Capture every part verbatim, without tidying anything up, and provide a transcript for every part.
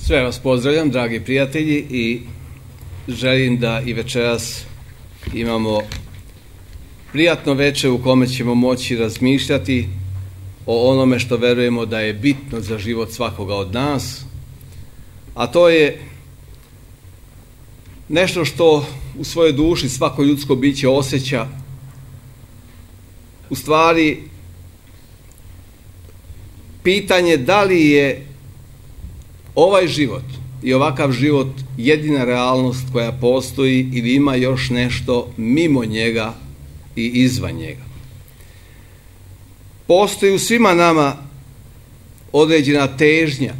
Sve vas pozdravljam, dragi prijatelji, i želim da i večeras imamo prijatno večer u kome ćemo moći razmišljati o onome što verujemo da je bitno za život svakoga od nas, a to je nešto što u svojoj duši svako ljudsko biće osjeća, u stvari pitanje da li je ovaj život i ovakav život jedina realnost koja postoji ili ima još nešto mimo njega i izvan njega. Postoji u svima nama određena težnja,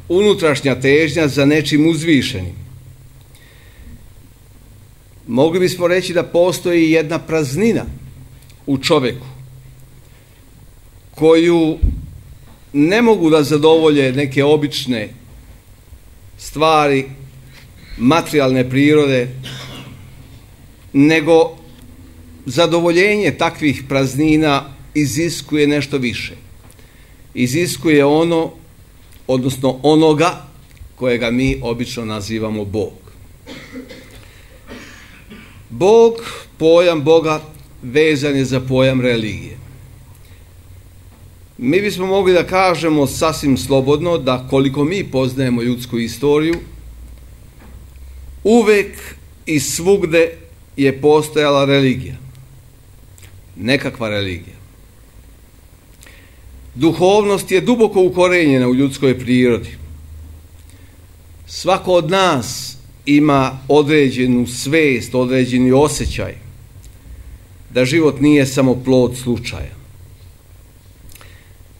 unutrašnja težnja za nečim uzvišenim. Mogli bismo reći da postoji jedna praznina u čoveku koju ne mogu da zadovolje neke obične stvari materijalne prirode, nego zadovoljenje takvih praznina iziskuje nešto više. Iziskuje ono, odnosno onoga kojega mi obično nazivamo Bog. Bog, pojam Boga vezan je za pojam religije. Mi bismo mogli da kažemo sasvim slobodno da koliko mi poznajemo ljudsku istoriju, uvek i svugde je postojala religija. Nekakva religija. Duhovnost je duboko ukorenjena u ljudskoj prirodi. Svako od nas ima određenu svest, određeni osjećaj da život nije samo plod slučaja.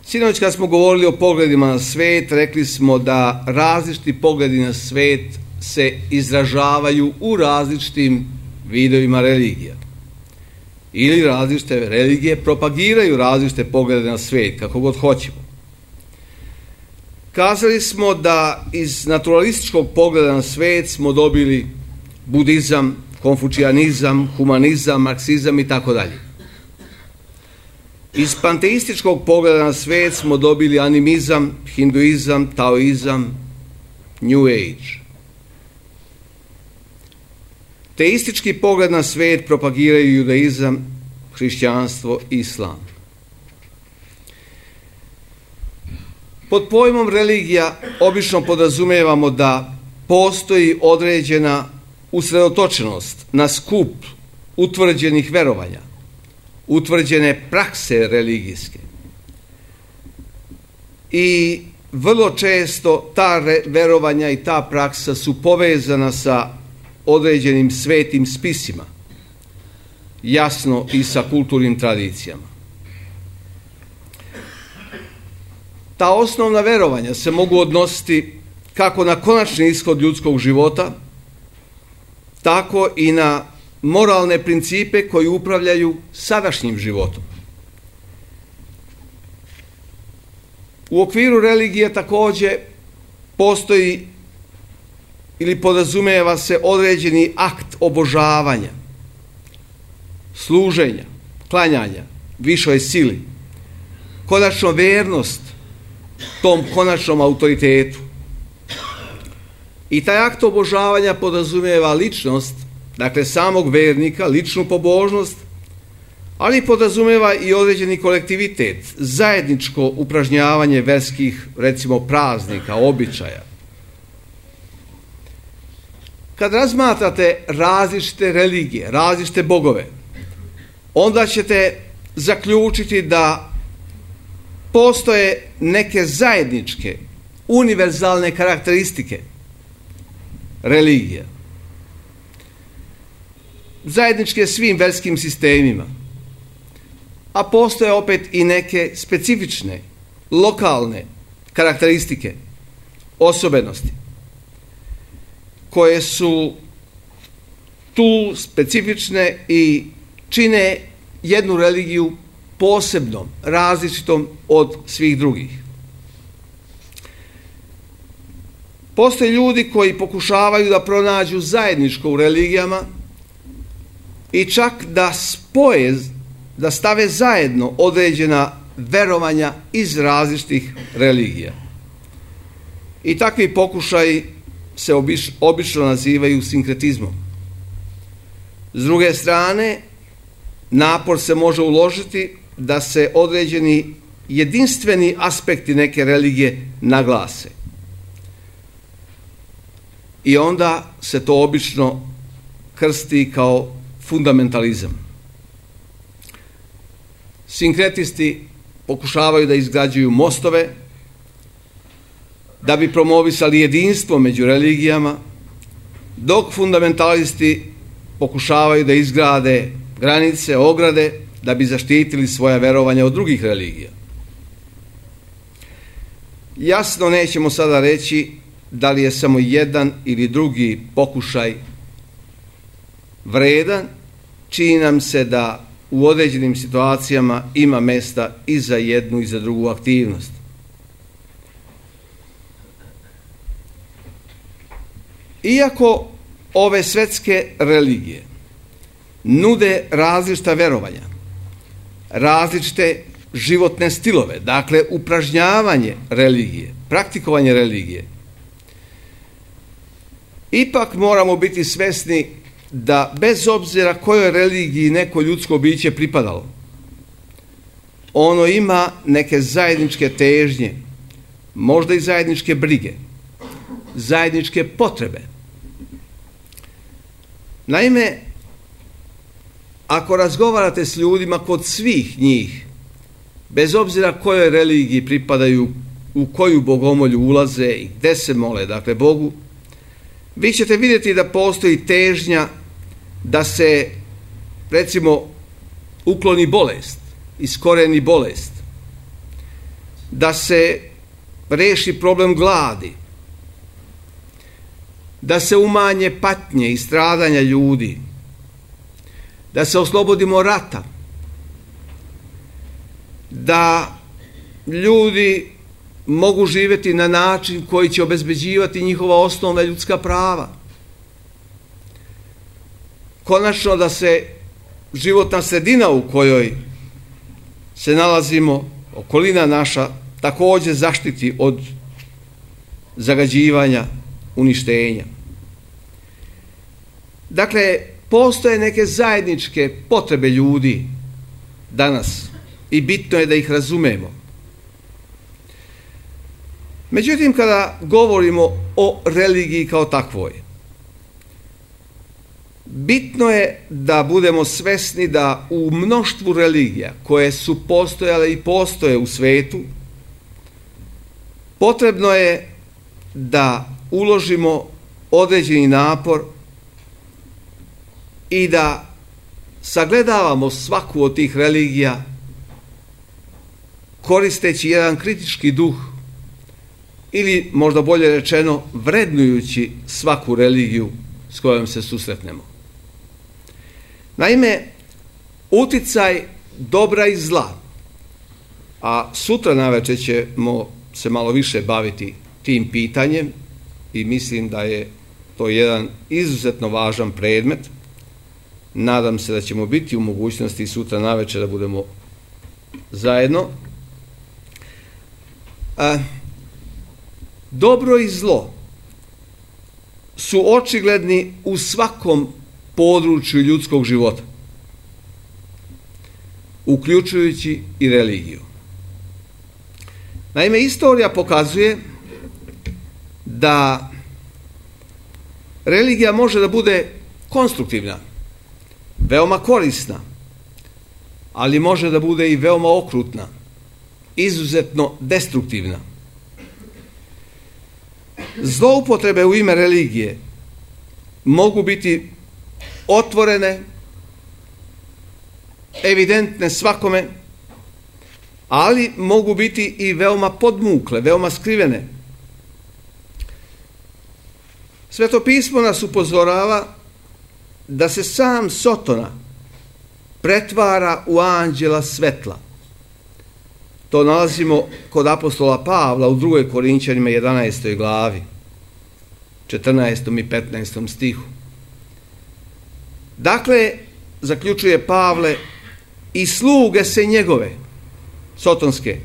Sinoć kad smo govorili o pogledima na svet, rekli smo da različiti pogledi na svet se izražavaju u različitim vidovima religija. Ili različite religije propagiraju različite poglede na svet, kako god hoćemo. Kazali smo da iz naturalističkog pogleda na svet smo dobili budizam, konfučijanizam, humanizam, marksizam i tako dalje. Iz panteističkog pogleda na svet smo dobili animizam, hinduizam, taoizam, New Age. Teistički pogled na svet propagiraju judaizam, hrišćanstvo i islam. Pod pojmom religija obično podrazumijevamo da postoji određena usredotočenost na skup utvrđenih verovanja, utvrđene prakse religijske. I vrlo često ta verovanja i ta praksa su povezana sa određenim svetim spisima, jasno i sa kulturnim tradicijama. Ta osnovna verovanja se mogu odnositi kako na konačni ishod ljudskog života, tako i na moralne principe koji upravljaju sadašnjim životom. U okviru religije takođe postoji ili podrazumijeva se određeni akt obožavanja, služenja, klanjanja višoj sili, konačno vernost tom konačnom autoritetu. I taj akt obožavanja podrazumijeva ličnost, dakle samog vernika, ličnu pobožnost, ali podrazumijeva i određeni kolektivitet, zajedničko upražnjavanje verskih, recimo, praznika, običaja. Kad razmatrate različite religije, različite bogove, onda ćete zaključiti da postoje neke zajedničke, univerzalne karakteristike religije. Zajedničke svim verskim sistemima, a postoje opet i neke specifične, lokalne karakteristike, osobenosti, koje su tu specifične i čine jednu religiju posebnom, različitom od svih drugih. Postoje ljudi koji pokušavaju da pronađu zajedničko u religijama i čak da spoje, da stave zajedno određena verovanja iz različitih religija. I takvi pokušaji se obič, obično nazivaju sinkretizmom. S druge strane, napor se može uložiti da se određeni jedinstveni aspekti neke religije naglase. I onda se to obično krsti kao fundamentalizam. Sinkretisti pokušavaju da izgrađuju mostove, da bi promovisali jedinstvo među religijama, dok fundamentalisti pokušavaju da izgrade granice, ograde, da bi zaštitili svoja verovanja od drugih religija. Jasno nećemo sada reći da li je samo jedan ili drugi pokušaj vredan, čini nam se da u određenim situacijama ima mesta i za jednu i za drugu aktivnost. Iako ove svetske religije nude različita verovanja, različite životne stilove, dakle upražnjavanje religije, praktikovanje religije, ipak moramo biti svesni da bez obzira kojoj religiji neko ljudsko biće pripadalo, ono ima neke zajedničke težnje, možda i zajedničke brige, zajedničke potrebe. Naime, ako razgovarate s ljudima kod svih njih, bez obzira kojoj religiji pripadaju, u koju bogomolju ulaze i gde se mole, dakle Bogu, vi ćete vidjeti da postoji težnja da se, recimo, ukloni bolest, iskoreni bolest, da se reši problem gladi, da se umanje patnje i stradanja ljudi, da se oslobodimo rata, da ljudi mogu živjeti na način koji će obezbeđivati njihova osnovna ljudska prava. Konačno da se životna sredina u kojoj se nalazimo, okolina naša, također zaštiti od zagađivanja, uništenja. Dakle, postoje neke zajedničke potrebe ljudi danas i bitno je da ih razumemo. Međutim, kada govorimo o religiji kao takvoj, bitno je da budemo svesni da u mnoštvu religija koje su postojale i postoje u svetu, potrebno je da uložimo određeni napor i da sagledavamo svaku od tih religija koristeći jedan kritički duh ili, možda bolje rečeno, vrednujući svaku religiju s kojom se susretnemo. Naime, uticaj dobra i zla, a sutra navečer ćemo se malo više baviti tim pitanjem i mislim da je to jedan izuzetno važan predmet. Nadam se da ćemo biti u mogućnosti sutra navečer da budemo zajedno. A, dobro i zlo su očigledni u svakom području ljudskog života, uključujući i religiju. Naime, istorija pokazuje da religija može da bude konstruktivna, veoma korisna, ali može da bude i veoma okrutna, izuzetno destruktivna. Zloupotrebe u ime religije mogu biti otvorene, evidentne svakome, ali mogu biti i veoma podmukle, veoma skrivene. Sveto pismo nas upozorava da se sam Sotona pretvara u anđela svetla. To nalazimo kod apostola Pavla u drugoj Korinćanima jedanaestoj glavi, četrnaestom i petnaestom stihu. Dakle, zaključuje Pavle, i sluge se njegove, sotonske,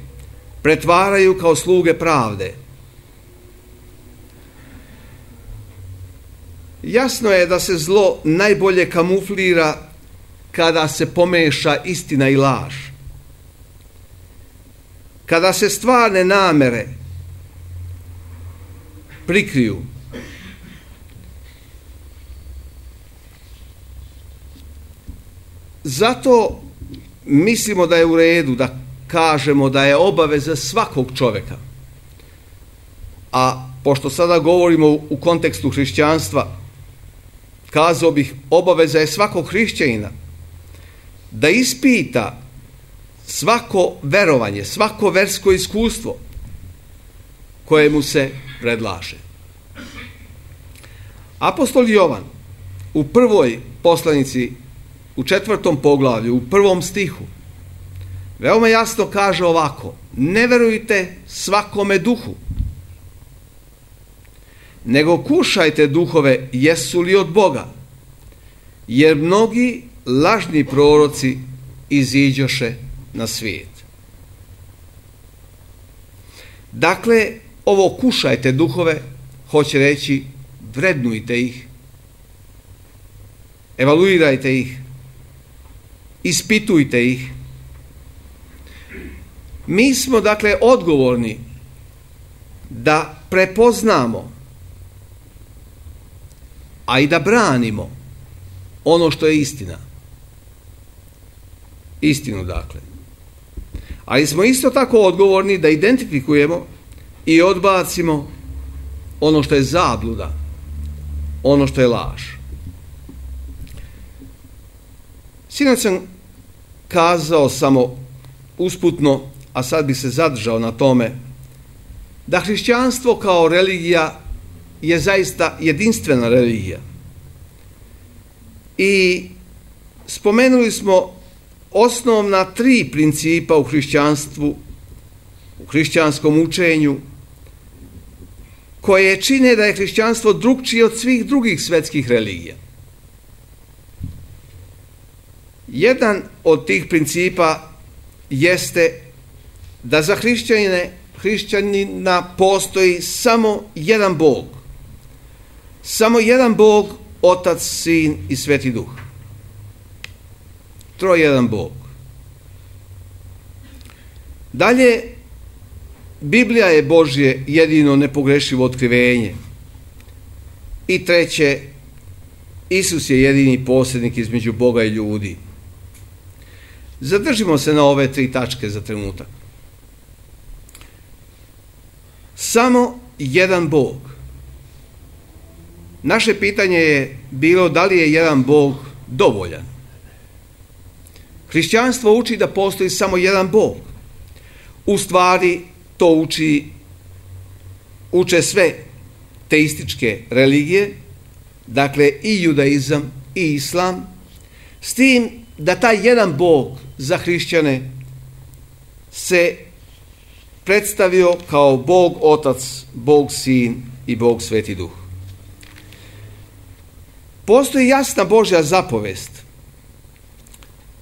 pretvaraju kao sluge pravde. Jasno je da se zlo najbolje kamuflira kada se pomeša istina i laž. Kada se stvarne namere prikriju. Zato mislimo da je u redu da kažemo da je obaveza svakog čovjeka, a pošto sada govorimo u kontekstu hrišćanstva, kazao bih, obaveza je svakog hrišćanina da ispita svako verovanje, svako versko iskustvo koje mu se predlaže. Apostol Jovan u prvoj poslanici, u četvrtom poglavlju, u prvom stihu, veoma jasno kaže ovako: ne verujte svakome duhu, nego kušajte duhove jesu li od Boga, jer mnogi lažni proroci iziđoše na svijet. Dakle, ovo kušajte duhove hoće reći vrednujte ih, evaluirajte ih, ispitujte ih. Mi smo dakle odgovorni da prepoznamo, a i da branimo ono što je istina. Istinu dakle. Ali smo isto tako odgovorni da identifikujemo i odbacimo ono što je zabluda, ono što je laž. Sinoć sam kazao samo usputno, a sad bi se zadržao na tome, da hrišćanstvo kao religija je zaista jedinstvena religija. I spomenuli smo osnovna tri principa u hrišćanstvu, u hrišćanskom učenju, koje čine da je hrišćanstvo drukčije od svih drugih svetskih religija. Jedan od tih principa jeste da za hrišćanine, hrišćanina postoji samo jedan Bog. Samo jedan Bog, Otac, Sin i Sveti Duh. Trojedan Bog. Dalje, Biblija je Božje jedino nepogrešivo otkrivenje. I treće, Isus je jedini posrednik između Boga i ljudi. Zadržimo se na ove tri tačke za trenutak. Samo jedan Bog. Naše pitanje je bilo da li je jedan Bog dovoljan. Hrišćanstvo uči da postoji samo jedan Bog. U stvari to uči, uče sve teističke religije, dakle i judaizam i islam, s tim da taj jedan Bog za hrišćane se predstavio kao Bog Otac, Bog Sin i Bog Sveti Duh. Postoji jasna Božja zapovest.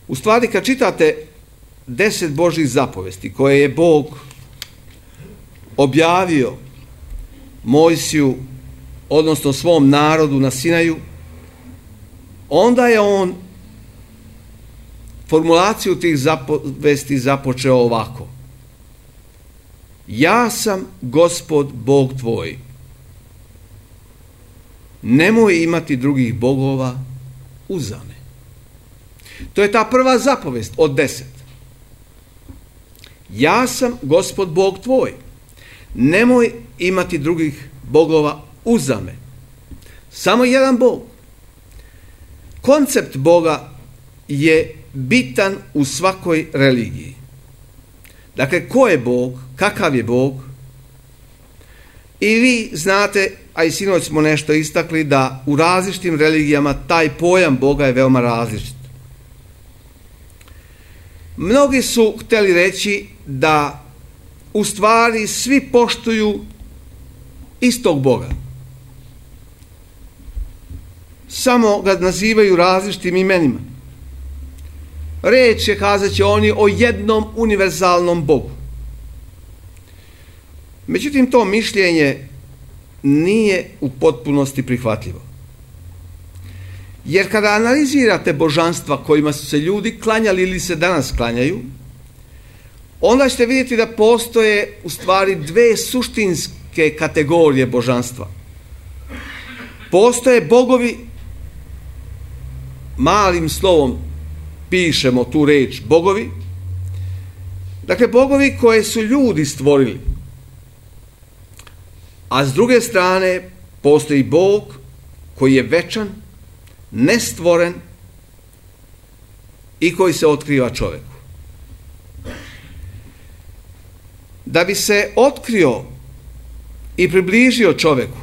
U stvari, kad čitate deset Božjih zapovesti koje je Bog objavio Mojsiju, odnosno svom narodu na Sinaju, onda je on formulaciju tih zapovesti započeo ovako: ja sam Gospod Bog tvoj. Nemoj imati drugih bogova uza me. To je ta prva zapovest od deset. Ja sam Gospod Bog tvoj. Nemoj imati drugih bogova uza me. Samo jedan Bog. Koncept Boga je bitan u svakoj religiji. Dakle, ko je Bog, kakav je Bog? I vi znate, a i sinoć smo nešto istakli, da u različitim religijama taj pojam Boga je veoma različit. Mnogi su htjeli reći da u stvari svi poštuju istog Boga. Samo ga nazivaju različitim imenima. Reč je, kazat će oni, o jednom univerzalnom Bogu. Međutim, to mišljenje nije u potpunosti prihvatljivo. Jer kada analizirate božanstva kojima su se ljudi klanjali ili se danas klanjaju, onda ćete vidjeti da postoje u stvari dve suštinske kategorije božanstva. Postoje bogovi, malim slovom pišemo tu reč bogovi, dakle bogovi koje su ljudi stvorili. A s druge strane postoji Bog koji je večan, nestvoren i koji se otkriva čovjeku. Da bi se otkrio i približio čovjeku,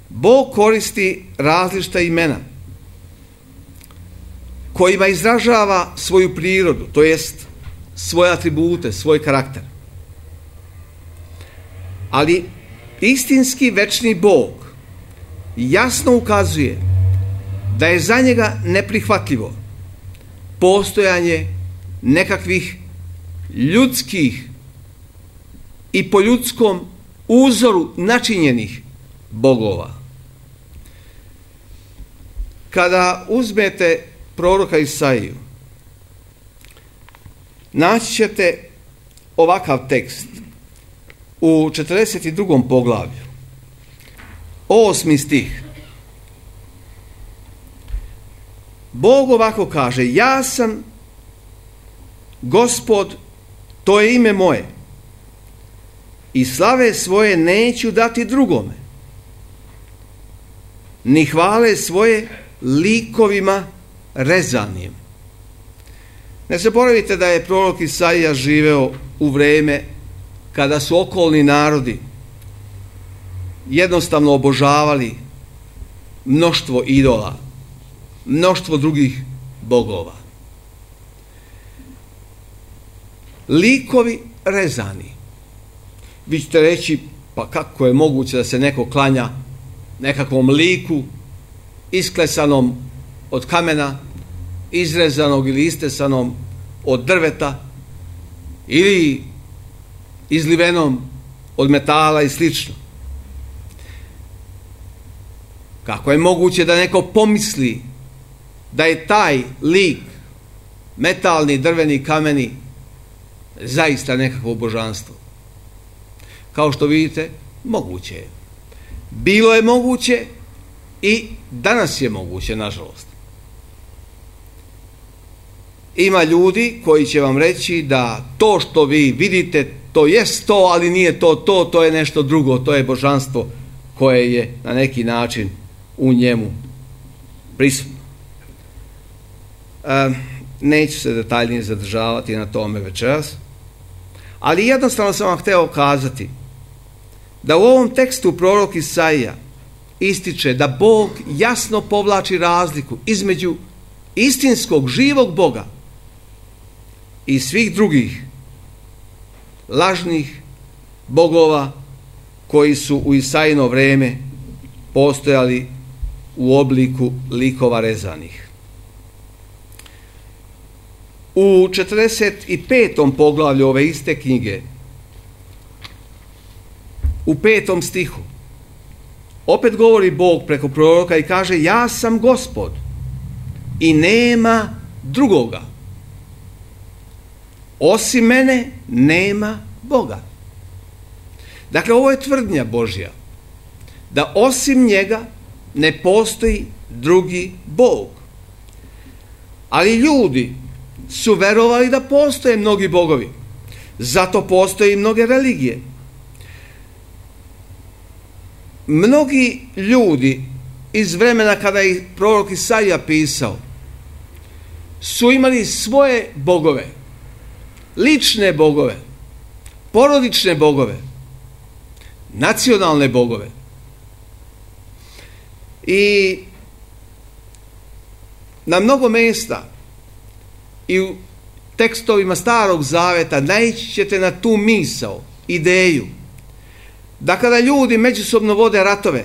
Bog koristi različita imena kojima izražava svoju prirodu, to jest svoje atribute, svoj karakter. Ali istinski večni Bog jasno ukazuje da je za njega neprihvatljivo postojanje nekakvih ljudskih i po ljudskom uzoru načinjenih bogova. Kada uzmete proroka Isaiju, naći ćete ovakav tekst u četrdeset drugom poglavlju, osmi stih. Bog ovako kaže: ja sam Gospod, to je ime moje, i slave svoje neću dati drugome, ni hvale svoje likovima rezanim. Ne zaboravite da je prorok Isaija živeo u vrijeme kada su okolni narodi jednostavno obožavali mnoštvo idola, mnoštvo drugih bogova. Likovi rezani. Vi ćete reći, pa kako je moguće da se neko klanja nekakvom liku isklesanom od kamena, izrezanog ili istesanom od drveta ili izlivenom od metala i slično. Kako je moguće da neko pomisli da je taj lik, metalni, drveni, kameni, zaista nekakvo božanstvo? Kao što vidite, moguće je. Bilo je moguće i danas je moguće, nažalost. Ima ljudi koji će vam reći da to što vi vidite, to jest to, ali nije to to, to je nešto drugo, to je božanstvo koje je na neki način u njemu prisutno. E, neću se detaljnije zadržavati na tome večeras, ali jednostavno sam vam hteo kazati da u ovom tekstu prorok Isaija ističe da Bog jasno povlači razliku između istinskog, živog Boga i svih drugih lažnih bogova koji su u Isaijino vrijeme postojali u obliku likova rezanih. U četrdeset petom poglavlju ove iste knjige, u petom stihu, opet govori Bog preko proroka i kaže: ja sam Gospod i nema drugoga. Osim mene nema Boga. Dakle, ovo je tvrdnja Božja, da osim njega ne postoji drugi Bog. Ali ljudi su verovali da postoje mnogi bogovi. Zato postoje i mnoge religije. Mnogi ljudi iz vremena kada je prorok Isaija pisao su imali svoje bogove, lične bogove, porodične bogove, nacionalne bogove. I na mnogo mjesta i u tekstovima Starog Zaveta naići ćete na tu misao, ideju, da kada ljudi međusobno vode ratove,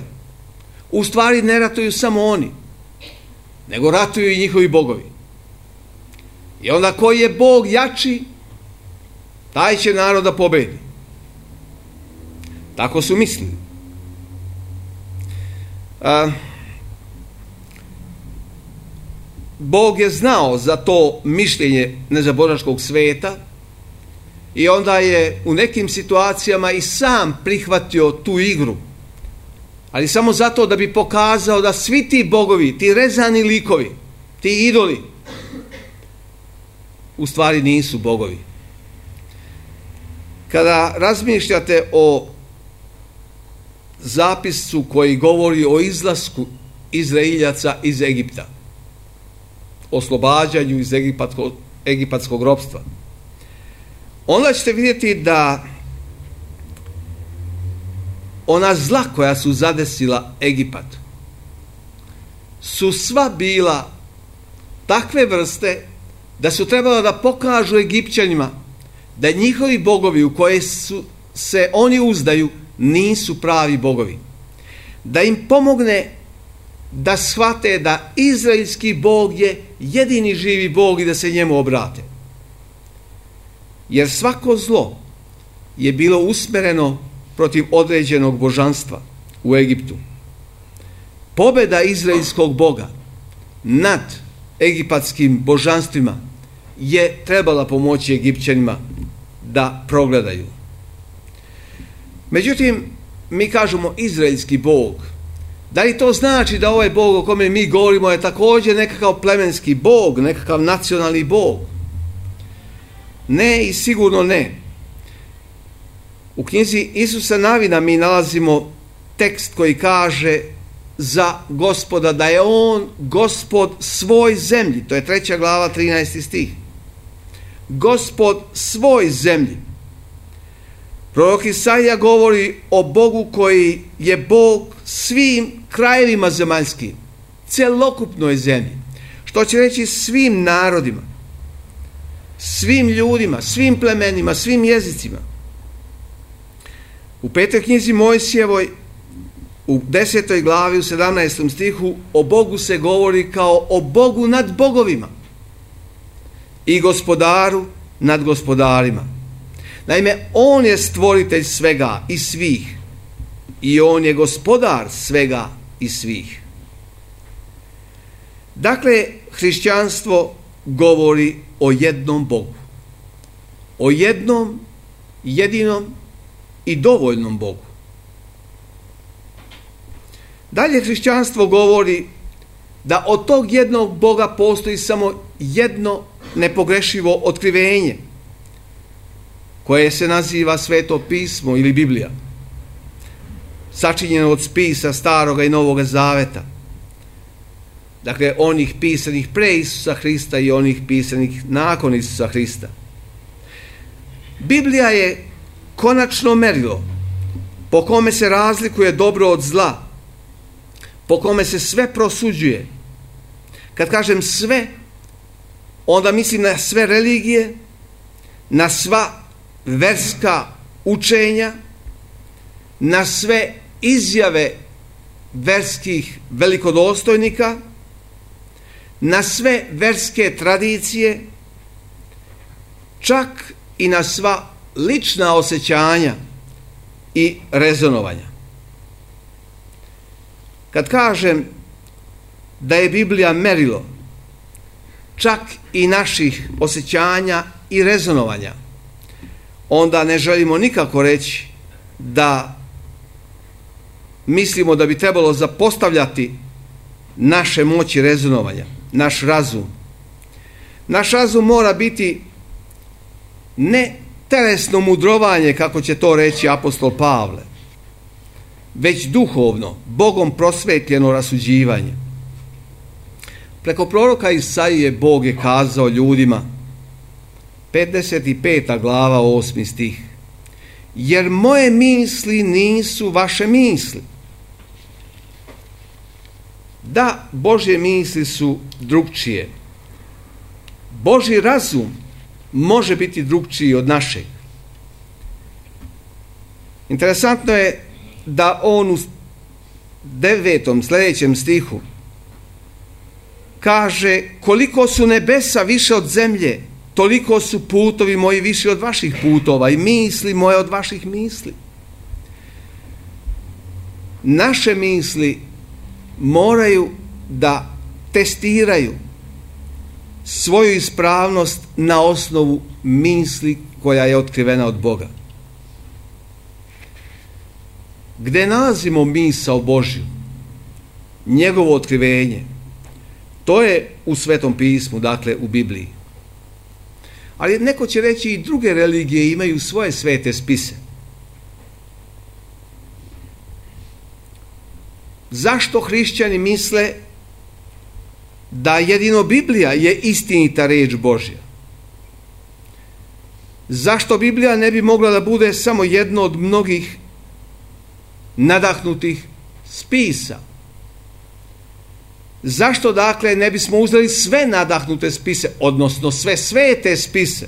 u stvari ne ratuju samo oni, nego ratuju i njihovi bogovi. I onda koji je Bog jači, taj će narod da pobedi. Tako su mislili. A, Bog je znao za to mišljenje nezaboračkog sveta i onda je u nekim situacijama i sam prihvatio tu igru, ali samo zato da bi pokazao da svi ti bogovi, ti rezani likovi, ti idoli, u stvari nisu bogovi. Kada razmišljate o zapisu koji govori o izlasku Izraeljaca iz Egipta, oslobađanju iz egipatskog, egipatskog ropstva, onda ćete vidjeti da ona zla koja su zadesila Egipat su sva bila takve vrste da su trebala da pokažu Egipćanima da njihovi bogovi u koje su se oni uzdaju nisu pravi bogovi. Da im pomogne da shvate da izraelski Bog je jedini živi Bog i da se njemu obrate. Jer svako zlo je bilo usmereno protiv određenog božanstva u Egiptu. Pobjeda izraelskog Boga nad egipatskim božanstvima je trebala pomoći Egipćanima da progledaju. Međutim, mi kažemo izraelski Bog. Da li to znači da ovaj Bog o kome mi govorimo je također nekakav plemenski Bog, nekakav nacionalni Bog? Ne i sigurno ne. U knjizi Isusa Navina mi nalazimo tekst koji kaže za Gospoda da je on Gospod svoj zemlji. To je treća glava, trinaesti stih. Gospod svoj zemlji. Prorok Isaija govori o Bogu koji je Bog svim krajevima zemaljskim, celokupnoj zemlji. Što će reći svim narodima, svim ljudima, svim plemenima, svim jezicima. U petoj knjizi Mojsijevoj, u desetoj glavi, u sedamnaestom stihu, o Bogu se govori kao o Bogu nad bogovima i gospodaru nad gospodarima. Naime, on je stvoritelj svega i svih i on je gospodar svega i svih. Dakle, hrišćanstvo govori o jednom Bogu, o jednom, jedinom i dovoljnom Bogu. Dalje, hrišćanstvo govori da od tog jednog Boga postoji samo jedno nepogrešivo otkrivenje, koje se naziva Sveto pismo ili Biblija, sačinjeno od spisa Staroga i Novoga Zaveta. Dakle, onih pisanih pre Isusa Hrista i onih pisanih nakon Isusa Hrista. Biblija je konačno merilo po kome se razlikuje dobro od zla, po kome se sve prosuđuje. Kad kažem sve, onda mislim na sve religije, na sva verska učenja, na sve izjave verskih velikodostojnika, na sve verske tradicije, čak i na sva lična osjećanja i rezonovanja. Kad kažem da je Biblija merilo čak i naših osjećanja i rezonovanja, onda ne želimo nikako reći da mislimo da bi trebalo zapostavljati naše moći rezonovanja, naš razum. Naš razum mora biti ne telesno mudrovanje, kako će to reći apostol Pavle, već duhovno, Bogom prosvetljeno rasuđivanje. Preko proroka Isaije Bog je kazao ljudima, pedeset peta glava, osmi stih, jer moje misli nisu vaše misli. Da, Božje misli su drugčije. Božji razum može biti drugčiji od našeg. Interesantno je da on u devetom sljedećem stihu kaže, koliko su nebesa više od zemlje, toliko su putovi moji više od vaših putova i misli moje od vaših misli. Naše misli moraju da testiraju svoju ispravnost na osnovu misli koja je otkrivena od Boga. Gde nalazimo misao Božju, njegovo otkrivenje, to je u Svetom pismu, dakle u Bibliji. Ali neko će reći i druge religije imaju svoje svete spise. Zašto hrišćani misle da jedino Biblija je istinita reč Božja? Zašto Biblija ne bi mogla da bude samo jedno od mnogih nadahnutih spisa? Zašto dakle ne bismo uzeli sve nadahnute spise, odnosno sve svete spise?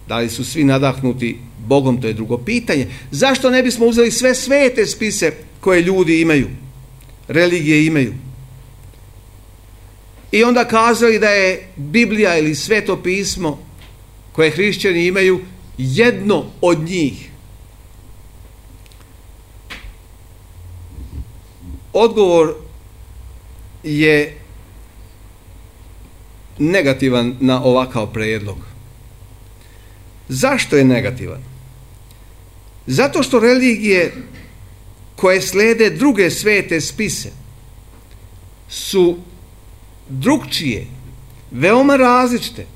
Da li su svi nadahnuti Bogom, to je drugo pitanje. Zašto ne bismo uzeli sve svete spise koje ljudi imaju, religije imaju? I onda kazali da je Biblija ili Sveto pismo koje hrišćani imaju jedno od njih. Odgovor je negativan na ovakav prijedlog. Zašto je negativan? Zato što religije koje slede druge svete spise su drugčije, veoma različite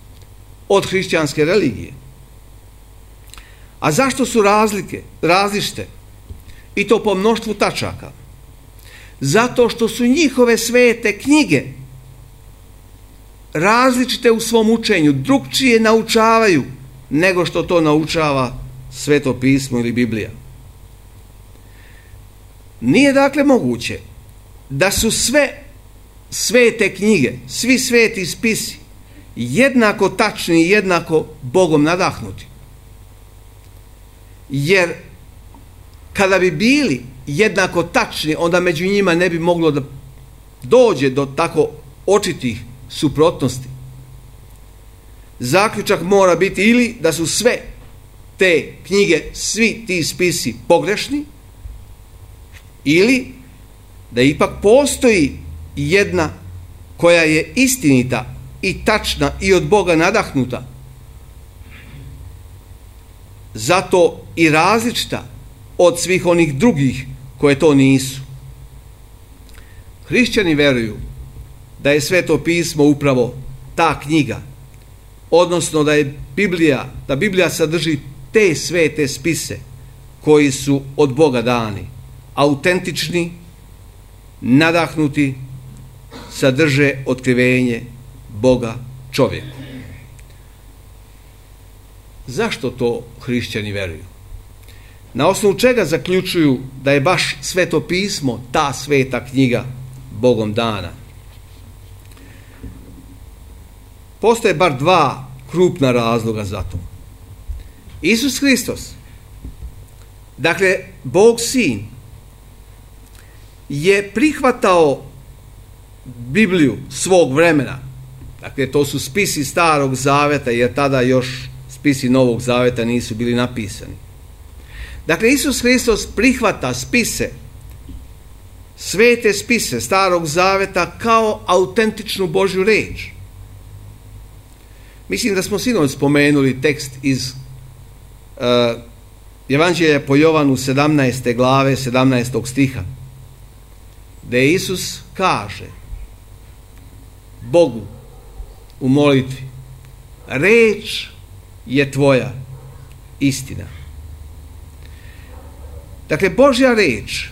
od hrišćanske religije. A zašto su razlike, različite? I to po mnoštvu tačaka. Zato što su njihove svete knjige različite u svom učenju, drugčije naučavaju nego što to naučava Sveto pismo ili Biblija. Nije dakle moguće da su sve svete knjige, svi sveti spisi jednako tačni i jednako Bogom nadahnuti. Jer kada bi bili jednako tačni, onda među njima ne bi moglo da dođe do tako očitih suprotnosti. Zaključak mora biti ili da su sve te knjige, svi ti spisi pogrešni, ili da ipak postoji jedna koja je istinita i tačna i od Boga nadahnuta, zato i različita od svih onih drugih koje to nisu. Hrišćani veruju da je Sveto pismo upravo ta knjiga, odnosno da je Biblija, da Biblija sadrži te svete spise koji su od Boga dani, autentični, nadahnuti, sadrže otkrivenje Boga čovjeku. Zašto to hrišćani veruju? Na osnovu čega zaključuju da je baš Sveto pismo ta sveta knjiga Bogom dana? Postoje bar dva krupna razloga za to. Isus Hristos, dakle Bog Sin, je prihvatao Bibliju svog vremena. Dakle, to su spisi Starog zaveta, jer tada još spisi Novog zaveta nisu bili napisani. Dakle, Isus Hristos prihvata spise, svete spise Starog zaveta kao autentičnu Božju reč. Mislim da smo sinoć spomenuli tekst iz uh, Evanđelja po Jovanu sedamnaeste glave, sedamnaestog stiha, gde Isus kaže Bogu u molitvi: reč je tvoja istina. Dakle, Božja reč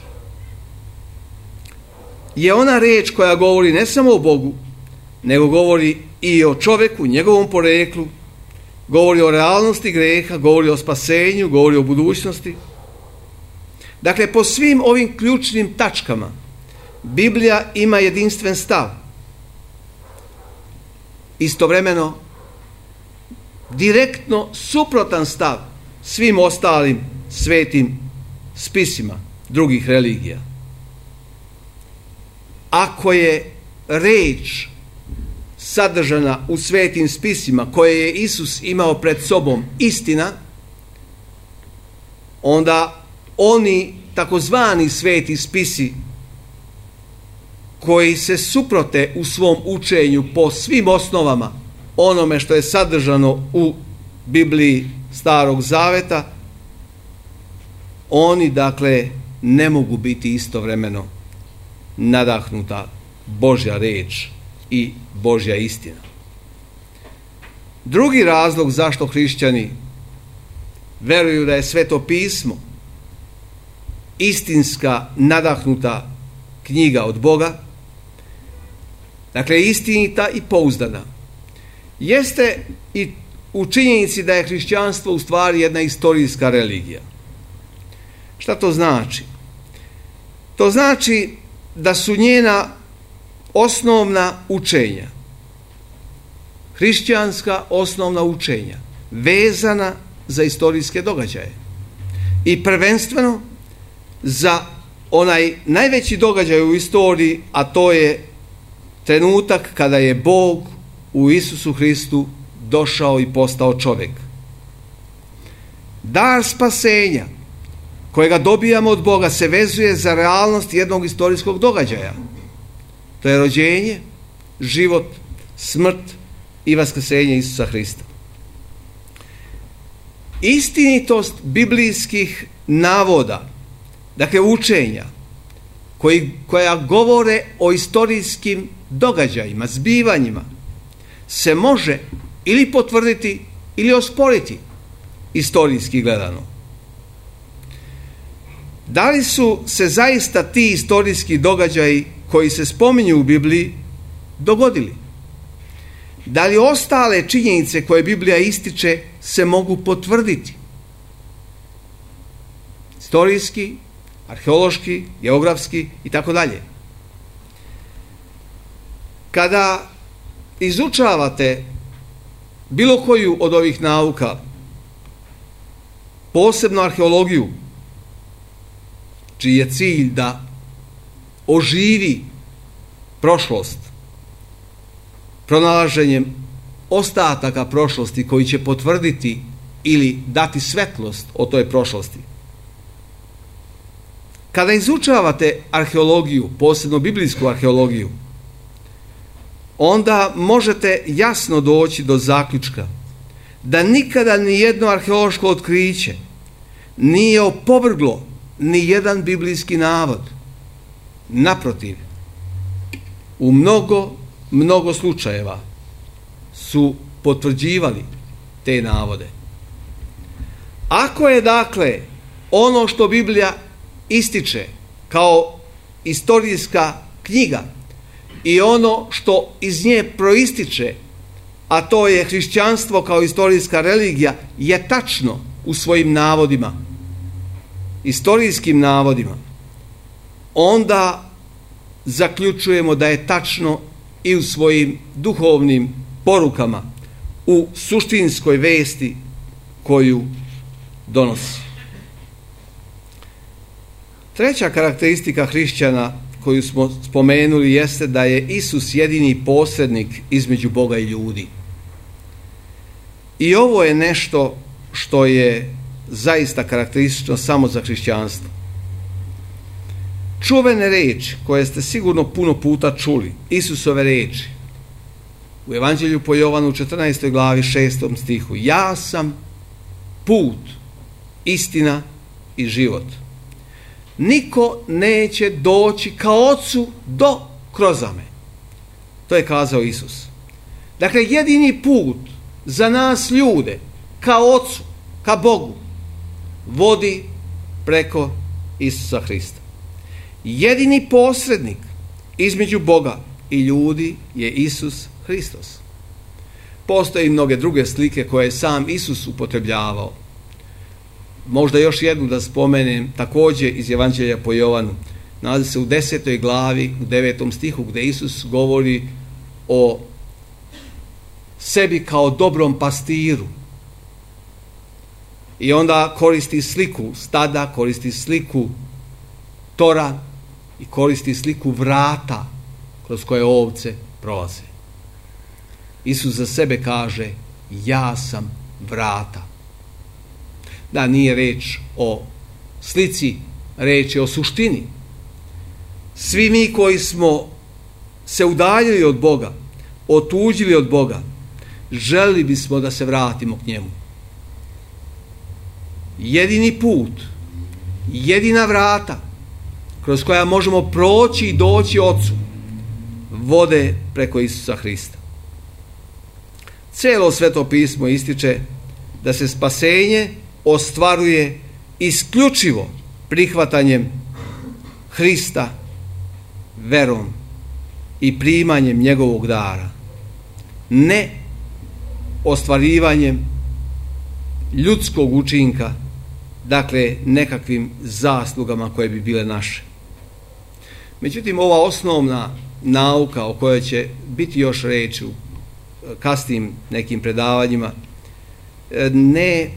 je ona reč koja govori ne samo o Bogu, nego govori i o čovjeku, njegovom poreklu, govori o realnosti greha, govori o spasenju, govori o budućnosti. Dakle, po svim ovim ključnim tačkama Biblija ima jedinstven stav. Istovremeno, direktno suprotan stav svim ostalim svetim spisima drugih religija. Ako je reč sadržana u svetim spisima koje je Isus imao pred sobom istina, onda oni takozvani sveti spisi koji se suprote u svom učenju po svim osnovama onome što je sadržano u Bibliji Starog Zaveta, oni dakle ne mogu biti istovremeno nadahnuta Božja reč i Božja istina. Drugi razlog zašto hrišćani veruju da je Sveto pismo istinska nadahnuta knjiga od Boga, dakle istinita i pouzdana, jeste i u činjenici da je hrišćanstvo u stvari jedna istorijska religija. Šta to znači? To znači da su njena osnovna učenja, hrišćanska osnovna učenja, vezana za istorijske događaje i prvenstveno za onaj najveći događaj u istoriji, a to je trenutak kada je Bog u Isusu Hristu došao i postao čovjek. Dar spasenja kojega dobijamo od Boga se vezuje za realnost jednog istorijskog događaja. To je rođenje, život, smrt i vaskrsenje Isusa Hrista. Istinitost biblijskih navoda, dakle učenja, koji, koja govore o istorijskim događajima, zbivanjima, se može ili potvrditi ili osporiti istorijski gledano. Da li su se zaista ti istorijski događaji koji se spominju u Bibliji dogodili? Da li ostale činjenice koje Biblija ističe se mogu potvrditi? Istorijski, arheološki, geografski i tako dalje. Kada izučavate bilo koju od ovih nauka, posebno arheologiju, čiji je cilj da oživi prošlost pronalaženjem ostataka prošlosti koji će potvrditi ili dati svetlost o toj prošlosti. Kada izučavate arheologiju, posebno biblijsku arheologiju, onda možete jasno doći do zaključka da nikada ni jedno arheološko otkriće nije opovrglo ni jedan biblijski navod. Naprotiv, u mnogo, mnogo slučajeva su potvrđivali te navode. Ako je dakle ono što Biblija ističe kao istorijska knjiga i ono što iz nje proističe, a to je hrišćanstvo kao istorijska religija, je tačno u svojim navodima, istorijskim navodima, onda zaključujemo da je tačno i u svojim duhovnim porukama, u suštinskoj vesti koju donosi. Treća karakteristika hrišćana koju smo spomenuli jeste da je Isus jedini posrednik između Boga i ljudi. I ovo je nešto što je zaista karakteristično samo za hrišćanstvo. Čuvene reči koje ste sigurno puno puta čuli, Isusove reči, u Evanđelju po Jovanu četrnaestoj glavi šestom stihu: ja sam put, istina i život. Niko neće doći ka Ocu do kroz me. To je kazao Isus. Dakle, jedini put za nas ljude ka Ocu, ka Bogu, vodi preko Isusa Hrista. Jedini posrednik između Boga i ljudi je Isus Hristos. Postoje i mnoge druge slike koje je sam Isus upotrebljavao. Možda još jednu da spomenem, također iz Evanđelja po Jovanu. Nalazi se u desetoj glavi, u devetom stihu, gdje Isus govori o sebi kao dobrom pastiru. I onda koristi sliku stada, koristi sliku tora i koristi sliku vrata kroz koje ovce prolaze. Isus za sebe kaže: ja sam vrata. Da, nije reč o slici, reč je o suštini. Svi mi koji smo se udaljili od Boga, otuđili od Boga, želili bismo da se vratimo k njemu. Jedini put, jedina vrata kroz koja možemo proći i doći Otcu vode preko Isusa Hrista. Cijelo Sveto pismo ističe da se spasenje ostvaruje isključivo prihvatanjem Hrista, verom i primanjem njegovog dara, ne ostvarivanjem ljudskog učinka, dakle nekakvim zaslugama koje bi bile naše. Međutim, ova osnovna nauka o kojoj će biti još reći u kasnijim nekim predavanjima ne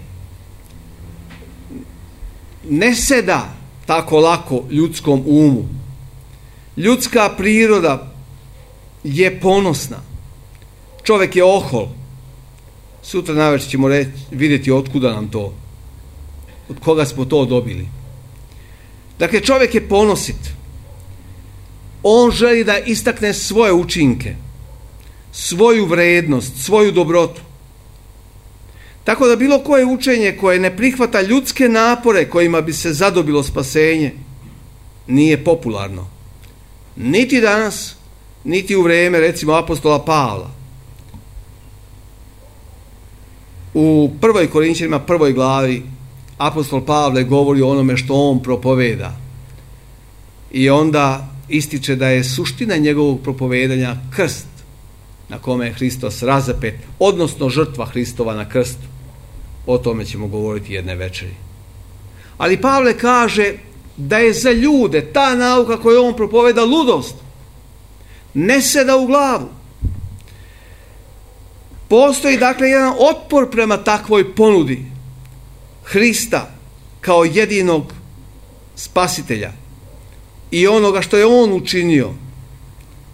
ne seda tako lako ljudskom umu. Ljudska priroda je ponosna. Čovjek je ohol. Sutra navečer ćemo reći, vidjeti otkuda nam to, od koga smo to dobili. Dakle, čovjek je ponosit. On želi da istakne svoje učinke, svoju vrednost, svoju dobrotu. Tako da bilo koje učenje koje ne prihvata ljudske napore kojima bi se zadobilo spasenje nije popularno. Niti danas, niti u vrijeme recimo apostola Pavla. U prvoj Korinćanima, prvoj glavi, apostol Pavle govori o onome što on propoveda. I onda ističe da je suština njegovog propovedanja krst na kome je Hristos razapet, odnosno žrtva Hristova na krstu. O tome ćemo govoriti jedne večeri. Ali Pavle kaže da je za ljude ta nauka koju on propoveda ludost. Ne seda u glavu. Postoji dakle jedan otpor prema takvoj ponudi Hrista kao jedinog spasitelja i onoga što je on učinio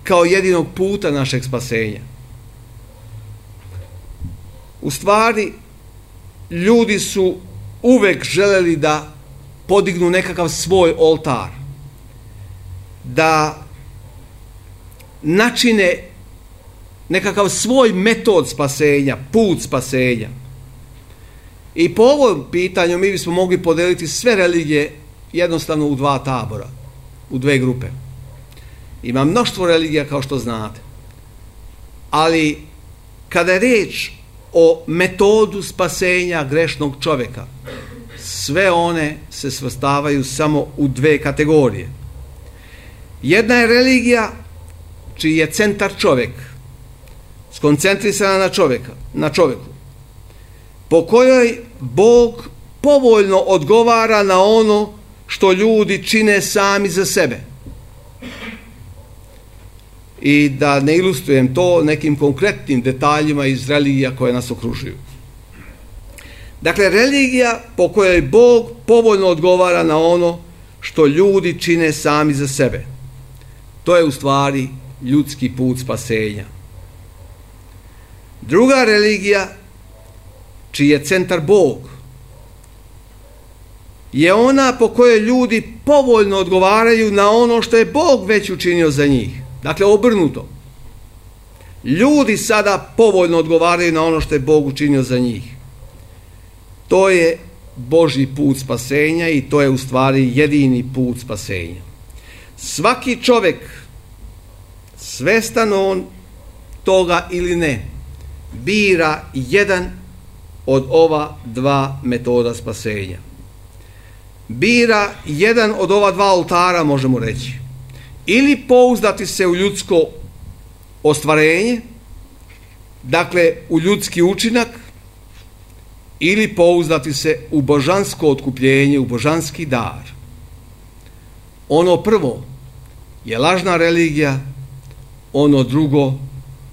kao jedinog puta našeg spasenja. U stvari, ljudi su uvek želeli da podignu nekakav svoj oltar, da načine nekakav svoj metod spasenja, put spasenja. I po ovom pitanju mi bismo mogli podeliti sve religije jednostavno u dva tabora, u dve grupe. Ima mnoštvo religija kao što znate. Ali kada je riječ o metodu spasenja grešnog čovjeka, sve one se svrstavaju samo u dve kategorije. Jedna je religija čiji je centar čovjek, skoncentrisana na čovjeka, na čovjeku, po kojoj Bog povoljno odgovara na ono što ljudi čine sami za sebe. I da ne ilustrujem to nekim konkretnim detaljima iz religija koje nas okružuju. Dakle, religija po kojoj Bog povoljno odgovara na ono što ljudi čine sami za sebe. To je u stvari ljudski put spasenja. Druga religija, čiji je centar Bog, je ona po kojoj ljudi povoljno odgovaraju na ono što je Bog već učinio za njih. Dakle, obrnuto. Ljudi sada povoljno odgovaraju na ono što je Bog učinio za njih. To je Božji put spasenja i to je u stvari jedini put spasenja. Svaki čovjek, svestan on toga ili ne, bira jedan od ova dva metoda spasenja. Bira jedan od ova dva oltara, možemo reći. Ili pouzdati se u ljudsko ostvarenje, dakle u ljudski učinak, ili pouzdati se u božansko otkupljenje, u božanski dar. Ono prvo je lažna religija, ono drugo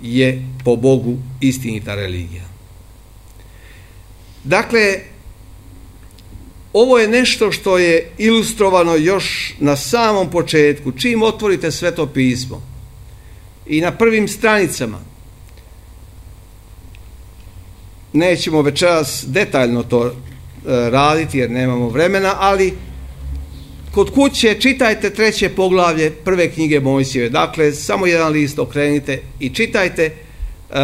je po Bogu istinita religija. Dakle, ovo je nešto što je ilustrovano još na samom početku. Čim otvorite Sveto pismo i na prvim stranicama, nećemo večeras detaljno to raditi jer nemamo vremena, ali kod kuće čitajte treće poglavlje prve knjige Mojsijeve. Dakle, samo jedan list okrenite i čitajte uh,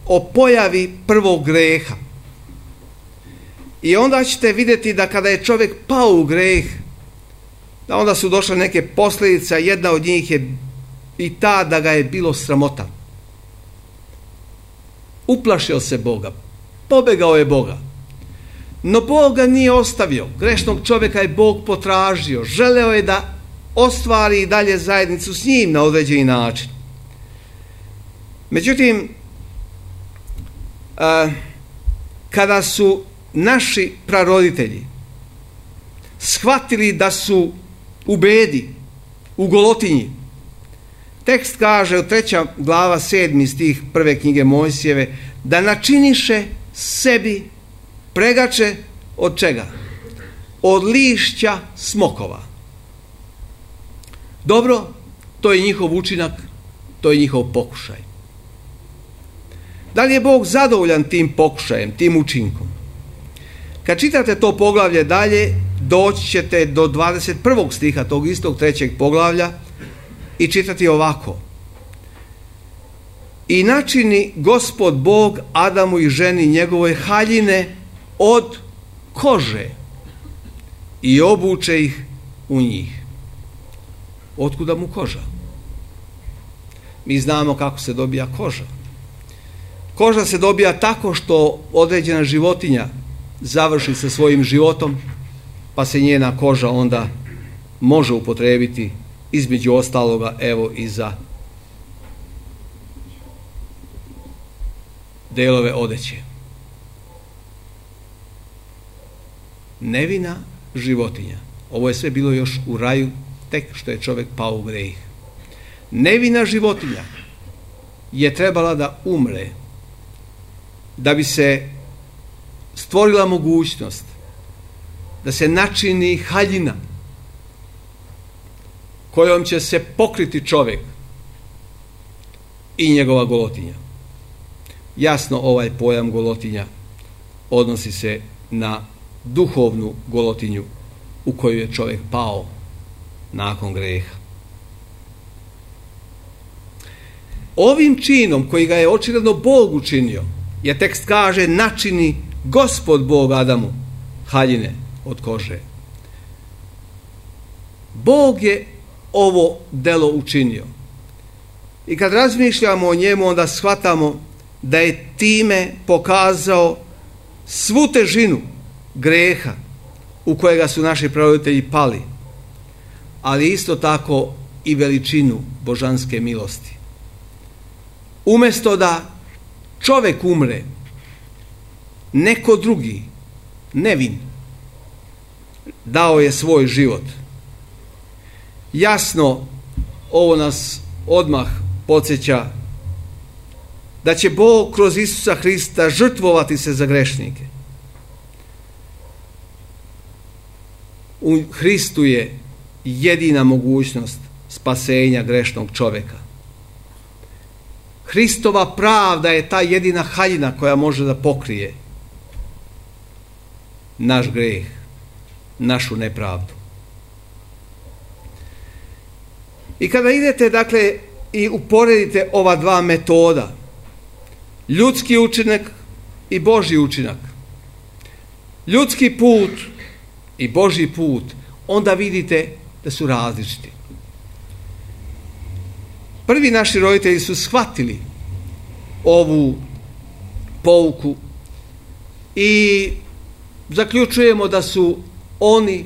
o pojavi prvog greha. I onda ćete vidjeti da kada je čovjek pao u greh, da onda su došle neke posljedice, jedna od njih je i ta da ga je bilo sramota. Uplašio se Boga, pobegao je Boga. No Bog ga nije ostavio. Grešnog čovjeka je Bog potražio. Želeo je da ostvari i dalje zajednicu s njim na određeni način. Međutim, a, kada su naši praroditelji shvatili da su u bedi, u golotinji, tekst kaže u treća glava sedmi stih prve knjige Mojsijeve da načiniše sebi pregače od čega? Od lišća smokova. Dobro, to je njihov učinak, to je njihov pokušaj. Da li je Bog zadovoljan tim pokušajem, tim učinkom? Kad čitate to poglavlje dalje, doći ćete do dvadeset prvog stiha tog istog trećeg poglavlja i čitati ovako. I načini Gospod Bog Adamu i ženi njegovoj haljine od kože i obuče ih u njih. Otkuda mu koža? Mi znamo kako se dobija koža. Koža se dobija tako što određena životinja završi sa svojim životom, pa se njena koža onda može upotrijebiti između ostaloga evo i za delove odeće. Nevina životinja. Ovo je sve bilo još u raju, tek što je čovjek pao u greh. Nevina životinja je trebala da umre, da bi se stvorila mogućnost da se načini haljina kojom će se pokriti čovjek i njegova golotinja. Jasno, ovaj pojam golotinja odnosi se na duhovnu golotinju u koju je čovjek pao nakon greha. Ovim činom koji ga je očigledno Bog učinio, je tekst kaže načini Gospod Bog Adamu haljine od kože. Bog je ovo delo učinio. I kad razmišljamo o njemu, onda shvatamo da je time pokazao svu težinu greha u kojega su naši praroditelji pali, ali isto tako i veličinu božanske milosti. Umjesto da čovjek umre, neko drugi, nevin, dao je svoj život. Jasno, ovo nas odmah podsjeća da će Bog kroz Isusa Hrista žrtvovati se za grešnike. U Hristu je jedina mogućnost spasenja grešnog čovjeka. Hristova pravda je ta jedina haljina koja može da pokrije naš greh, našu nepravdu. I kada idete, dakle, i uporedite ova dva metoda, ljudski učinak i Božji učinak, ljudski put i Božji put, onda vidite da su različiti. Prvi naši roditelji su shvatili ovu pouku i zaključujemo da su oni,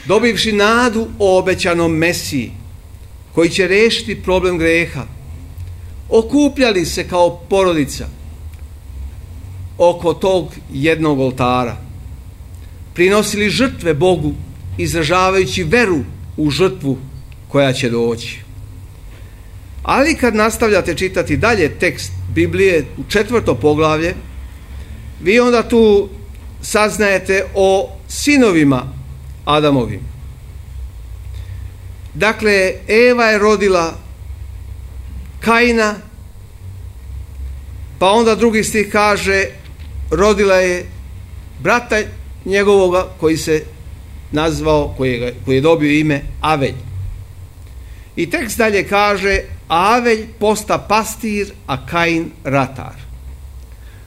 dobivši nadu o obećanom Mesiji koji će riješiti problem greha, okupljali se kao porodica oko tog jednog oltara, prinosili žrtve Bogu, izražavajući veru u žrtvu koja će doći. Ali kad nastavljate čitati dalje tekst Biblije u četvrto poglavlje, vi onda tu saznajete o sinovima Adamovim. Dakle, Eva je rodila Kaina, pa onda drugi stih kaže rodila je brata njegovoga koji se nazvao, koji je, koji je dobio ime Avelj. I tekst dalje kaže, Avelj posta pastir, a Kain ratar.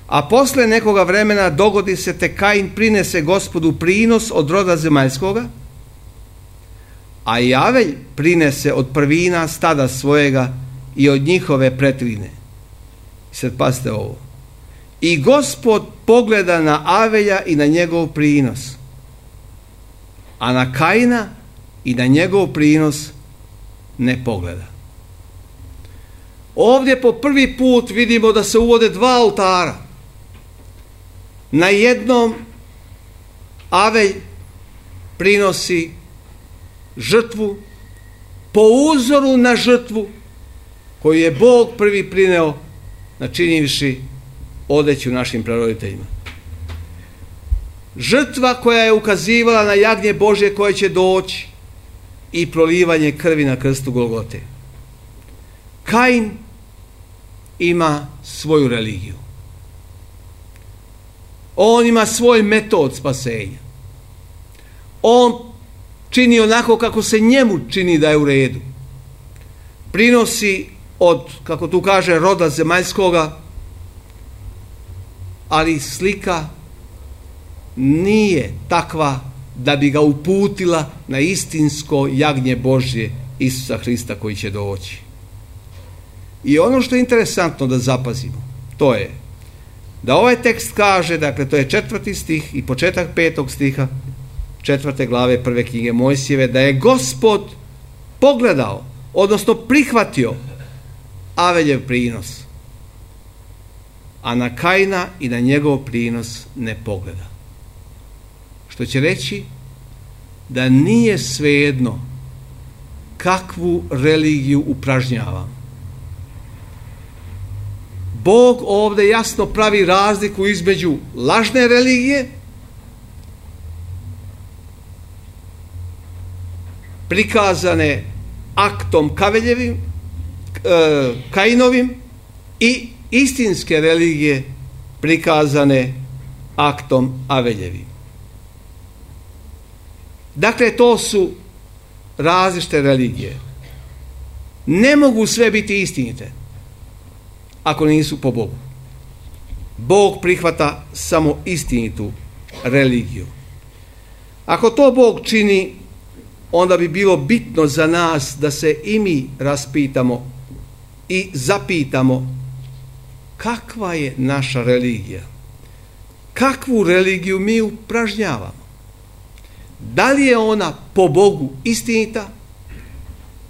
A posle nekoga vremena dogodi se te Kain prinese Gospodu prinos od roda zemaljskoga, a i Avelj prinese od prvina stada svojega i od njihove pretvine. Sad pazite ovo. I Gospod pogleda na Avelja i na njegov prinos, a na Kaina i na njegov prinos ne pogleda. Ovdje po prvi put vidimo da se uvode dva oltara. Na jednom Avelj prinosi žrtvu po uzoru na žrtvu koju je Bog prvi prineo načinivši odeću našim praroditeljima. Žrtva koja je ukazivala na jagnje Božje koje će doći i prolivanje krvi na krstu Golgote. Kain ima svoju religiju. On ima svoj metod spasenja. On čini onako kako se njemu čini da je u redu. Prinosi od, kako tu kaže, roda zemaljskoga, ali slika nije takva da bi ga uputila na istinsko jagnje Božje Isusa Hrista koji će doći. I ono što je interesantno da zapazimo, to je da ovaj tekst kaže, dakle to je četvrti stih i početak petog stiha četvrte glave prve knjige Mojsijeve, da je Gospod pogledao, odnosno prihvatio Aveljev prinos, a na Kaina i na njegov prinos ne pogleda. Što će reći da nije svejedno kakvu religiju upražnjavam. Bog ovdje jasno pravi razliku između lažne religije, prikazane aktom Kaveljevim, e, Kainovim, i istinske religije prikazane aktom Aveljevim. Dakle, to su različite religije. Ne mogu sve biti istinite ako nisu po Bogu. Bog prihvata samo istinitu religiju. Ako to Bog čini, onda bi bilo bitno za nas da se i mi raspitamo i zapitamo kakva je naša religija. Kakvu religiju mi upražnjavamo? Da li je ona po Bogu istinita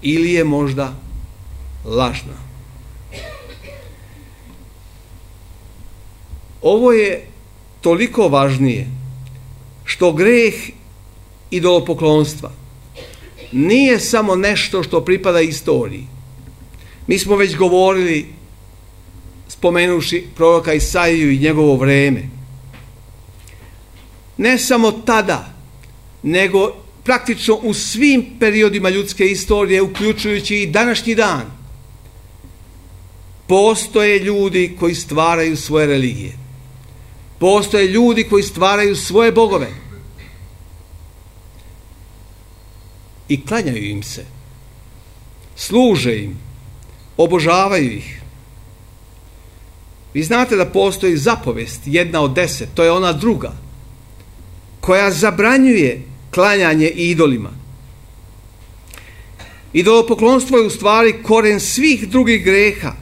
ili je možda lažna? Ovo je toliko važnije što greh idolopoklonstva nije samo nešto što pripada istoriji. Mi smo već govorili, spomenuši proroka Isaiju i njegovo vreme. Ne samo tada, nego praktično u svim periodima ljudske istorije, uključujući i današnji dan, postoje ljudi koji stvaraju svoje religije. Postoje ljudi koji stvaraju svoje bogove i klanjaju im se, služe im, obožavaju ih. Vi znate da postoji zapovest, jedna od deset, to je ona druga, koja zabranjuje klanjanje idolima. Idolopoklonstvo je u stvari koren svih drugih greha,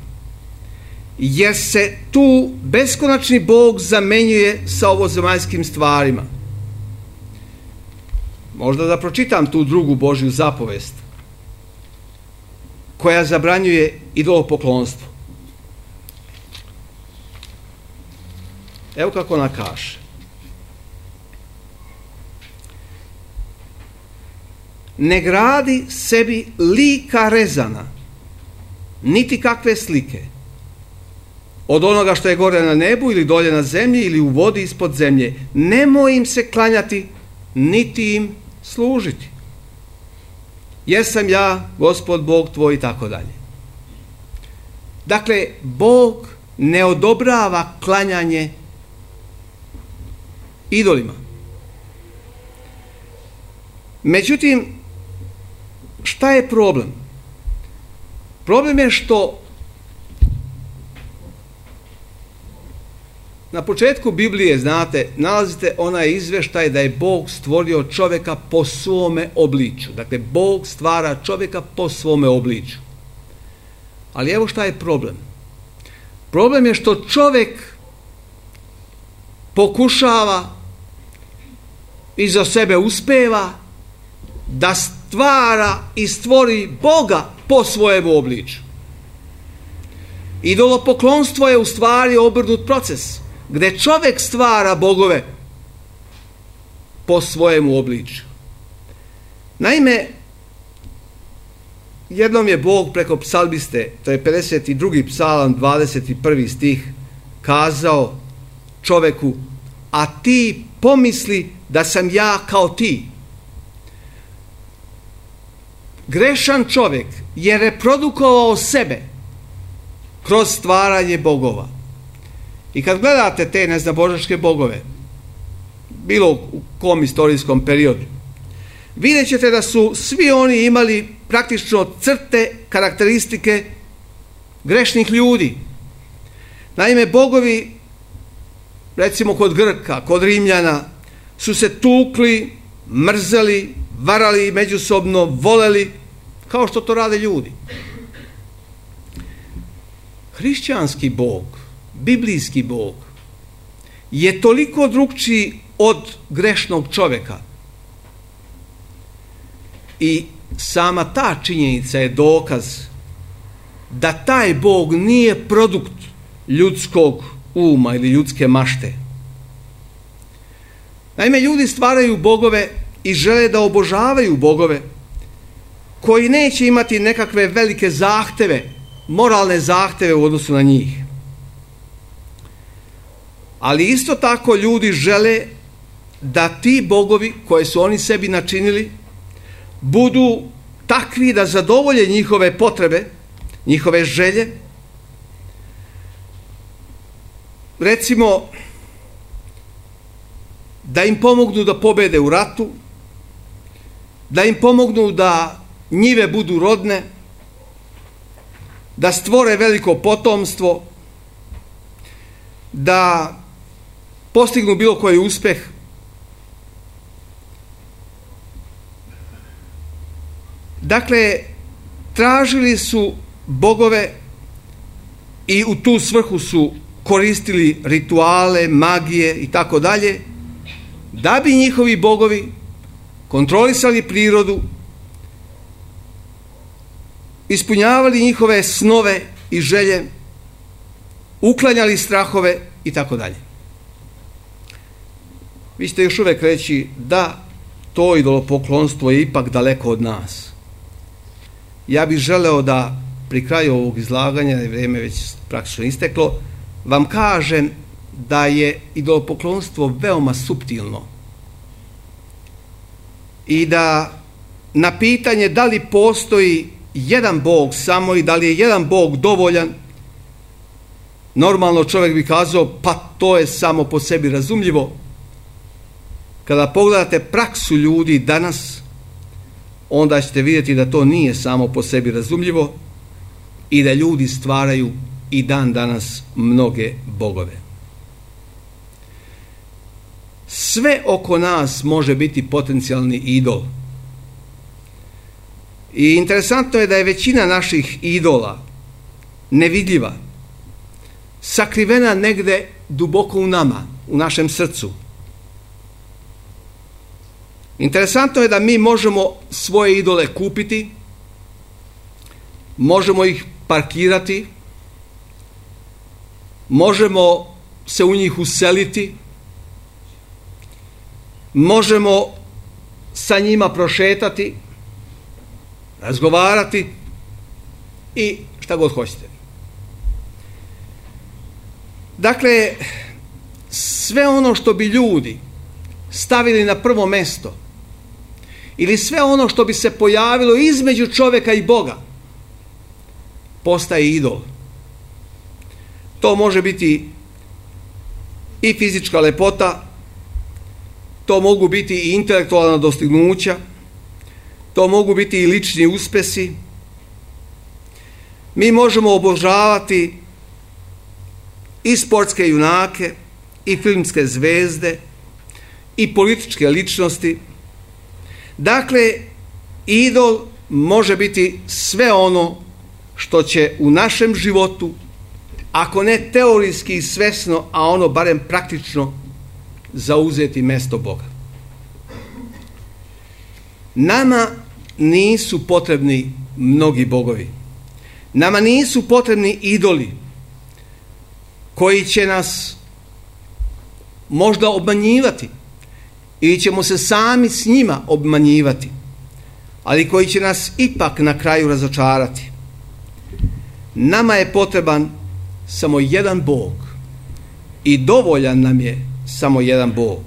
jer se tu beskonačni Bog zamenjuje sa ovozemaljskim stvarima. Možda da pročitam tu drugu Božju zapovest koja zabranjuje idolopoklonstvo. Evo kako ona kaže. Ne gradi sebi lika rezana, niti kakve slike, od onoga što je gore na nebu ili dolje na zemlji ili u vodi ispod zemlje. Nemoj im se klanjati, niti im služiti. Jer sam ja, Gospod Bog tvoj, i tako dalje. Dakle, Bog ne odobrava klanjanje idolima. Međutim, šta je problem? Problem je što na početku Biblije, znate, nalazite onaj izveštaj da je Bog stvorio čovjeka po svome obličju. Dakle, Bog stvara čovjeka po svome obličju. Ali evo šta je problem. Problem je što čovjek pokušava i za sebe uspeva da stvara i stvori Boga po svojem obličju. Idolopoklonstvo je u stvari obrnut proces, gdje čovjek stvara bogove po svojemu obličju. Naime, jednom je Bog preko psalmiste, to je pedeset drugi psalam, dvadeset prvi stih, kazao čovjeku: a ti pomisli da sam ja kao ti. Grešan čovjek je reprodukovao sebe kroz stvaranje bogova. I kad gledate te neznabožačke bogove, bilo u kom istorijskom periodu, vidjet ćete da su svi oni imali praktično crte, karakteristike grešnih ljudi. Naime, bogovi, recimo kod Grka, kod Rimljana, su se tukli, mrzeli, varali međusobno, voleli, kao što to rade ljudi. Hrišćanski Bog, biblijski Bog, je toliko drukčiji od grešnog čovjeka. I sama ta činjenica je dokaz da taj Bog nije produkt ljudskog uma ili ljudske mašte. Naime, ljudi stvaraju bogove i žele da obožavaju bogove koji neće imati nekakve velike zahteve, moralne zahteve u odnosu na njih. Ali isto tako ljudi žele da ti bogovi koje su oni sebi načinili budu takvi da zadovolje njihove potrebe, njihove želje. Recimo, da im pomognu da pobede u ratu, da im pomognu da njive budu rodne, da stvore veliko potomstvo, da postignu bilo koji uspeh. Dakle, tražili su bogove i u tu svrhu su koristili rituale, magije i tako dalje, da bi njihovi bogovi kontrolisali prirodu, ispunjavali njihove snove i želje, uklanjali strahove i tako dalje. Vi ćete još uvijek reći da to idolopoklonstvo je ipak daleko od nas. Ja bih želeo da pri kraju ovog izlaganja, vrijeme već praktično isteklo, vam kažem da je idolopoklonstvo veoma suptilno i da na pitanje da li postoji jedan Bog samo i da li je jedan Bog dovoljan, normalno čovjek bi kazao pa to je samo po sebi razumljivo. Kada pogledate praksu ljudi danas, onda ćete vidjeti da to nije samo po sebi razumljivo i da ljudi stvaraju i dan danas mnoge bogove. Sve oko nas može biti potencijalni idol. I interesantno je da je većina naših idola nevidljiva, sakrivena negde duboko u nama, u našem srcu. Interesantno je da mi možemo svoje idole kupiti, možemo ih parkirati, možemo se u njih useliti, možemo sa njima prošetati, razgovarati i šta god hoćete. Dakle, sve ono što bi ljudi stavili na prvo mesto ili sve ono što bi se pojavilo između čovjeka i Boga postaje idol. To može biti i fizička lepota, to mogu biti i intelektualna dostignuća, to mogu biti i lični uspesi. Mi možemo obožavati i sportske junake, i filmske zvezde, i političke ličnosti. Dakle, idol može biti sve ono što će u našem životu, ako ne teorijski i svesno, a ono barem praktično, zauzeti mesto Boga. Nama nisu potrebni mnogi bogovi. Nama nisu potrebni idoli koji će nas možda obmanjivati ili ćemo se sami s njima obmanjivati, ali koji će nas ipak na kraju razočarati. Nama je potreban samo jedan Bog i dovoljan nam je samo jedan Bog.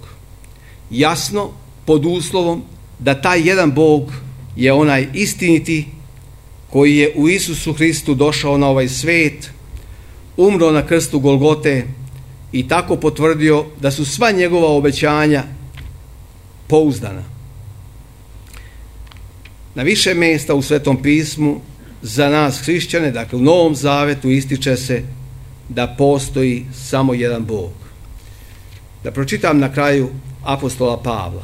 Jasno, pod uslovom da taj jedan Bog je onaj istiniti koji je u Isusu Hristu došao na ovaj svet, umro na krstu Golgote i tako potvrdio da su sva njegova obećanja pouzdana. Na više mjesta u Svetom pismu za nas hrišćane, dakle u Novom Zavetu, ističe se da postoji samo jedan Bog. Da pročitam na kraju apostola Pavla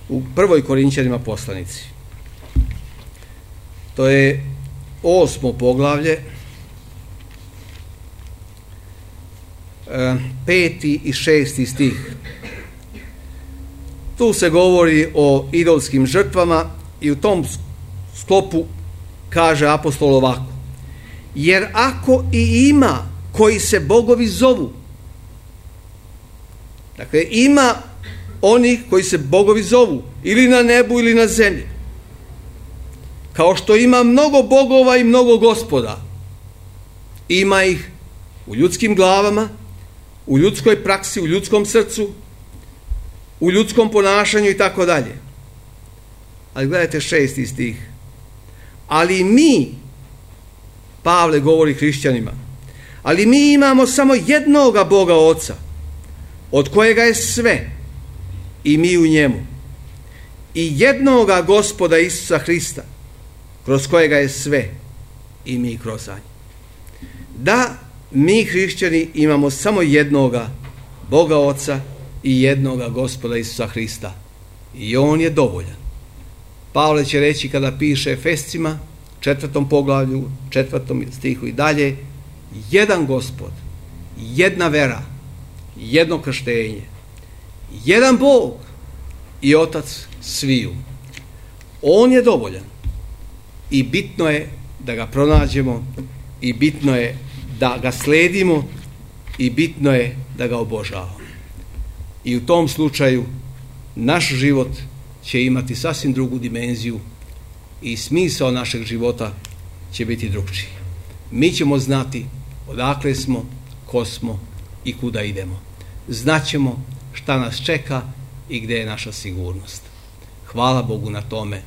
u prvoj Korinćanima poslanici. To je osmo poglavlje, peti i šesti stih. Tu se govori o idolskim žrtvama i u tom sklopu kaže apostol ovako: jer ako i ima koji se bogovi zovu, dakle ima onih koji se bogovi zovu ili na nebu ili na zemlji, kao što ima mnogo bogova i mnogo gospoda, ima ih u ljudskim glavama, u ljudskoj praksi, u ljudskom srcu, u ljudskom ponašanju i tako dalje. Ali gledajte šesti stih. Ali mi, Pavle govori hrišćanima, ali mi imamo samo jednoga Boga Oca, od kojega je sve i mi u njemu, i jednoga Gospoda Isusa Hrista, kroz kojega je sve i mi kroz njega. Da, mi hrišćani imamo samo jednoga Boga Oca i jednoga Gospoda Isusa Hrista. I on je dovoljan. Pavle će reći kada piše Efescima, četvrtom poglavlju, četvrtom stihu i dalje, jedan Gospod, jedna vera, jedno krštenje, jedan Bog i Otac sviju. On je dovoljan i bitno je da ga pronađemo i bitno je da ga sledimo i bitno je da ga obožavamo. I u tom slučaju naš život će imati sasvim drugu dimenziju i smisao našeg života će biti drugčiji. Mi ćemo znati odakle smo, ko smo i kuda idemo. Znaćemo šta nas čeka i gdje je naša sigurnost. Hvala Bogu na tome,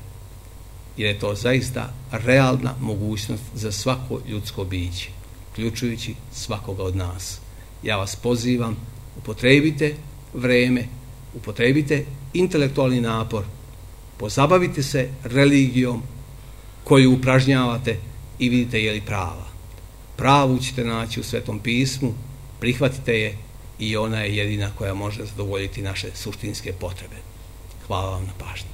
jer je to zaista realna mogućnost za svako ljudsko biće, uključujući svakoga od nas. Ja vas pozivam, upotrebite vreme, upotrebite intelektualni napor, pozabavite se religijom koju upražnjavate i vidite je li prava. Pravu ćete naći u Svetom pismu, prihvatite je i ona je jedina koja može zadovoljiti naše suštinske potrebe. Hvala vam na pažnji.